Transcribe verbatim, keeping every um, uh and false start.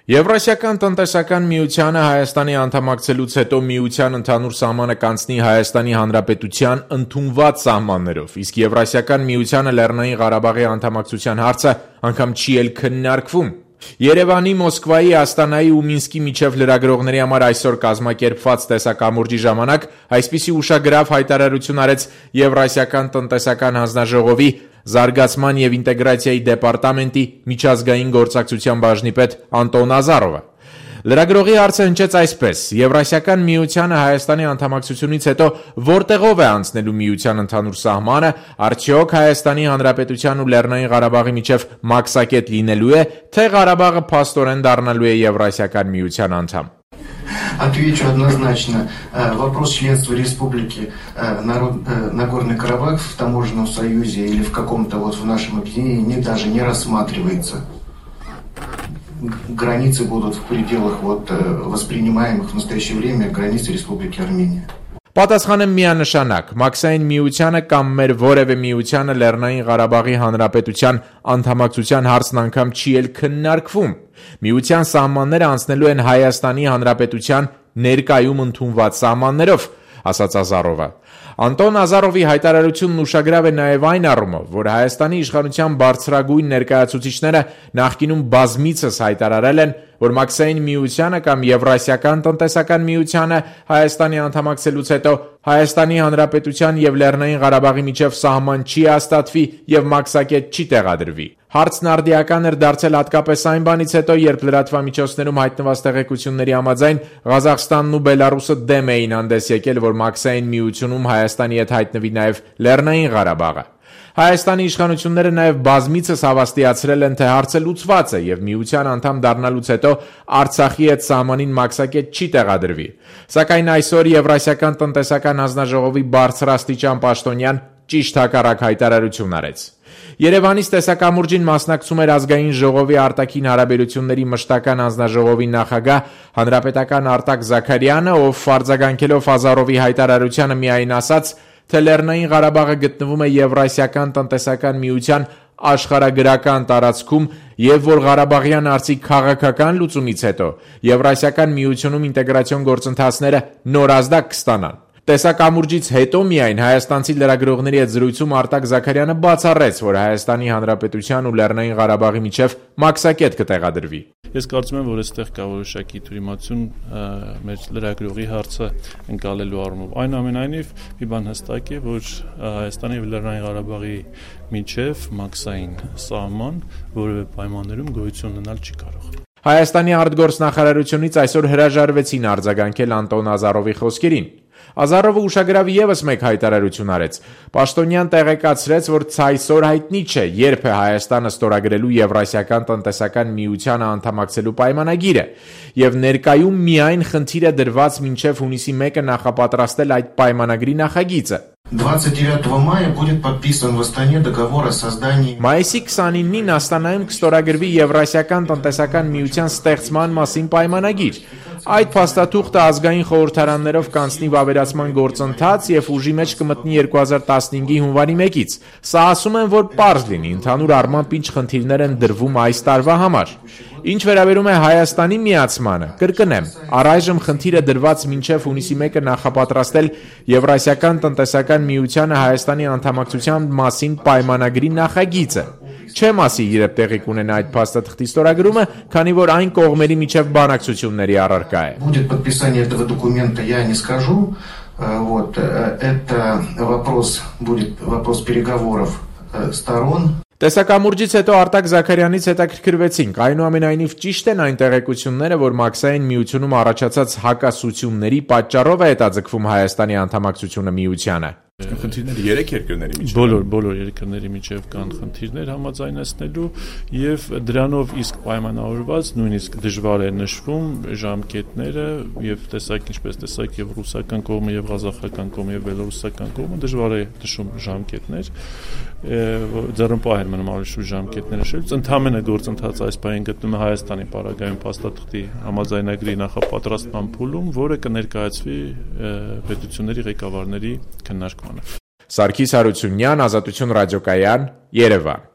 Եվրասիական տնտեսական միությանը Հայաստանի անդամակցելուց հետո միության ընդհանուր սահմանը կանցնի Հայաստանի Հանրապետության ընդունված սահմաններով, իսկ Եվրասիական միությանը Լեռնային Ղարաբաղի անդամակցության հարցը անգամ չի էլ քննարկվում։ Երևանի, Մոսկվայի, Աստանայի ու Մինսկի միջև լրագրողների համար այսօր կազմակերպված տեսակամուրջի ժամանակ այսպիսի ուշագրավ հայտարարություն արեց Եվրասիական տնտեսական հանձնաժողովի Զարգացման և ինտեգրացիայի դեպարտամենտի միջազգային գործակցության բաժնի պետ Անտոն Ազարովը։ Լրագրողի հարցը հնչեց այսպես. Եվրասիական միությանը Հայաստանի անդամակցությունից հետո որտեղով է անցնելու միության ընդհանուր սահմանը, արդյոք Հայաստանի Հանրապետության ու Լեռնային Ղարաբաղի միջև մաքսակետ լինելու է, թե Ղարաբաղը փաստորեն դառնալու է Եվրասիական միության անդամ։ Отвечу однозначно. Вопрос членства республики Нагорный Карабах в таможенном союзе или в каком-то вот в нашем объединении даже не рассматривается. Границы будут в пределах вот воспринимаемых в настоящее время границ Республики Армения. Պատասխանը միանշանակ, մաքսային միությանը կամ մեր որևէ միությանը Լեռնային Ղարաբաղի Հանրապետության անդամակցության հարցն անգամ չի էլ քննարկվում։ Միության սահմանները անցնելու են Հայաստանի Հանրապետության ներկայում ընդունված սահմաններով, ասաց Ազարովը։ Անտոն Ազարովի հայտարարությունն ուշագրավ է նաև այն առումով, որ Հայաստանի իշխանության բարձրագույն ներկայացուցիչները նախկինում բազմիցս հայտարարել են, որ մաքսային միությանը կամ Եվրասիական տնտեսական միությանը Հայաստանի անդամակցելուց հետո Հայաստանի Հանրապետության և Լեռնային Ղարաբաղի միջև սահման չի հաստատվի և մաքսակետ չի տեղադրվի։ Հարցն արդիական էր դարձել հատկապես այն բանից հետո, երբ լրատվամիջոցներում հայտնված տեղեկությունների համաձայն Ղազախստանն ու Բելարուսը դեմ էին հանդես եկել, որ մաքսային միությունում Հայաստանի հետ հայտնվի նաև Լեռնային Ղարաբաղը։ Հայաստանի իշխանությունները նաև բազմիցս հավաստիացրել են, թե հարցը լուծված է և միության անդամ դառնալուց հետո Արցախի հետ սահմանին մաքսակետ չի տեղադրվի։ Սակայն այսօր Եվրասիական տնտեսական հանձնաժողովի բարձրաստիճան պաշտոնյան ճիշտ հակառակ հայտարարություն արեց։ Երևանից տեսակամուրջին մասնակցում էր Ազգային ժողովի արտաքին հարաբերությունների մշտական հանձնաժողովի նախագահ հանրապետական Արտակ Զաքարյանը, ով արձագանքելով Ազարովի հայտարարությանը միայն ասաց, թե Լեռնային Ղարաբաղը գտնվում է Եվրասիական տնտեսական միության աշխարհագրական տարածքում և որ Ղարաբաղյան հարցի քաղաքական լուծումից հետո Եվրասիական միությունում ինտեգրացիոն գործընթացները նորազդակ կստանան։ Տեսակամուրջից հետո միայն հայաստանցի լրագրողների հետ զրույցում Արտակ Զաքարյանը բացառեց, որ Հայաստանի Հանրապետության ու Լեռնային Ղարաբաղի միջև մաքսակետ կտեղադրվի։ Ես կարծում եմ, որ այստեղ կա որոշակի թյուրիմացություն մեր լրագրողի հարցը ընկալելու առումով։ Այնուամենայնիվ, մի բան հստակ է, որ Հայաստանի և Լեռնային Ղարաբաղի միջև մաքսային սահման որևէ պայմաններում գոյություն ունենալ չի կարող։ Հայաստանի արտգործնախարարությունից այսօր հրաժարվեցին արձագանքել Անտոն Ազարովի խոսքերին։ Ազարովը ուշագրավ ևս մեկ հայտարարություն արեց։ Պաշտոնյան տեղեկացրեց, որ ցայսօր հայտնի չէ, երբ է Հայաստանը ստորագրելու Եվրասիական տնտեսական միությանը անդամակցելու պայմանագիրը, և ներկայում միայն խնդիր է դրված մինչև հունիսի մեկը նախապատրաստել այդ պայմանագրի նախագիծը։ двадцать девятого мая будет подписан в Астане договор о создании Մայիսի քսանինին Աստանայում կստորագրվի Եվրասիական տնտեսական միության ստեղծման մասին պայմանագիր։ Այդ փաստաթուղթը ազգային խորհրդարաններով կանցնի վավերացման գործընթաց և ուժի մեջ կմտնի երկու հազար տասնհինգի հունվարի մեկից։ Սա ասում են, որ պարզ լինի, ընդհանուր առմամբ ինչ խնդիրներ են դրվում այս տարվա համար։ Ինչ վերաբերում է Հայաստանի միացմանը, կրկնեմ, առայժմ խնդիրը դրված մինչև հունիսի մեկը նախապատրաստել Եվրասիական տնտեսական միությանը Հայաստանի անդամակցության մասին պայմանագրի նախագիծը։ Չեմ ասի երբ տեղի կունենա այդ փաստաթղթի ստորագրումը, քանի որ այն կողմերի միջև բանակցությունների առարկա է։ Будет подписание этого документа, я не скажу. Вот это вопрос будет вопрос переговоров сторон. Տեսակամուրջից հետո Արտակ Զաքարյանից հետաքրքրվեցինք, այնուամենայնիվ ճիշտ են այն տեղեկությունները, որ մաքսային միությունում առաջացած հակասությունների պատճառով է հետաձգվում Հայաստանի անդամակցությունը միությանը։ Խնդիրները երեք երկրների միջև բոլոր բոլոր երկրների միջև կան խնդիրներ համաձայնեցնելու եւ դրանով իսկ պայմանավորված նույնիսկ դժվար է նշվում ժամկետները եւ տեսակ ինչպես տեսակ եւ ռուսական կողմը եւ ղազախական կողմը եւ բելոռուսական կողմը դժվար է նշում ժամկետներ ձեռնպահ են մնում ավելի շուտ ժամկետները շելց ընդհանրապես գործընթացը այս բանին գտնում է Հայաստանի պարագայում փաստաթղթի համաձայնագրի նախապատրաստման փուլում, որը կներկայացվի պետությունների ղեկավարների քննարկմանը։ Սարգիս Հարությունյան, Ազատություն ռադիոկայան, Երևան։